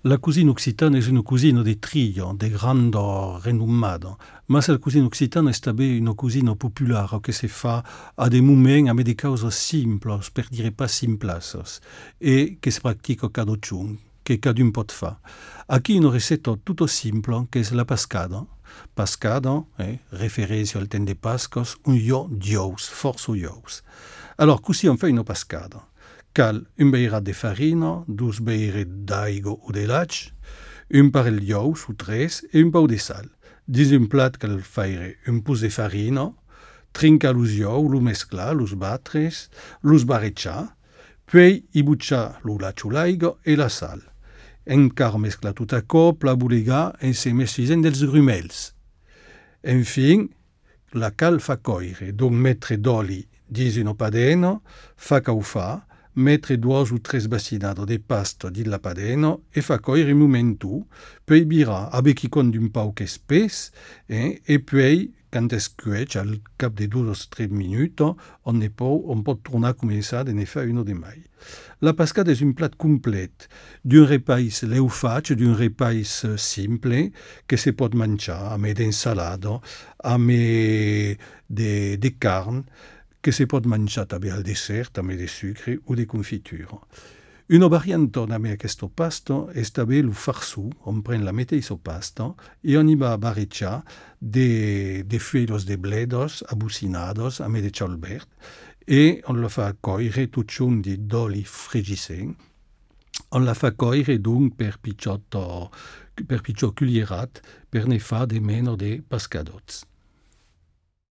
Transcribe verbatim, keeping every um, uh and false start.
La cuisine occitane est une cuisine de trio, de grande renommada, ma la cuisine occitane est també une cuisine populaire que se fa a des moments avec des causes simples, per dire pas simples, et que se pratique cada chun, que cadun pot fa. Aquí une recette tout simple, que és la pascada. Pascada, eh, referència al temps de Pascos, un jo d'ous, força ous. Alors, così on fait une pascada. Cal un beirat de farina, dos beiret d'aigua o de laig, un parell d'ous o tres e un pau de sal. Dins un plat cal faire un pus de farina, trinca los ous, lo mesclar, los batres, los barretjar, poi i butxar lo laig o l'aigua e la sal. Encara mesclar tot a cop, la bolegar e se mescisen dels grumels. Enfin, la cal fa coire, donc mettre d'oli dins una padena, fa caufar, mettre dues o tres bacinades de pasta dins la padena e fa coire un momentu, poi virar a becchicon d'un pau che espès, eh, e poi, quand es cuec, al cap de dos o tres minuts, on, ne pot, on pot tornar a començar de ne fer una de mai. La pascada és un plat complet, d'un repas leufat, d'un repas simple, que se pot menjar amb d'ensalada, amb de, de carn, que se pot menjar també al dessert, també de sucre o de confitura. Una variante amb aquesta pasta és també el farçú, on pren la mateixa pasta i on hi va barrejar de, de fulles de bledos abocinades amb de xolbert e on la fa coire tot junt d'oli fregissent. On la fa coire donc per pitjor, per pitjor culierat per ne fa de meno de pascadots.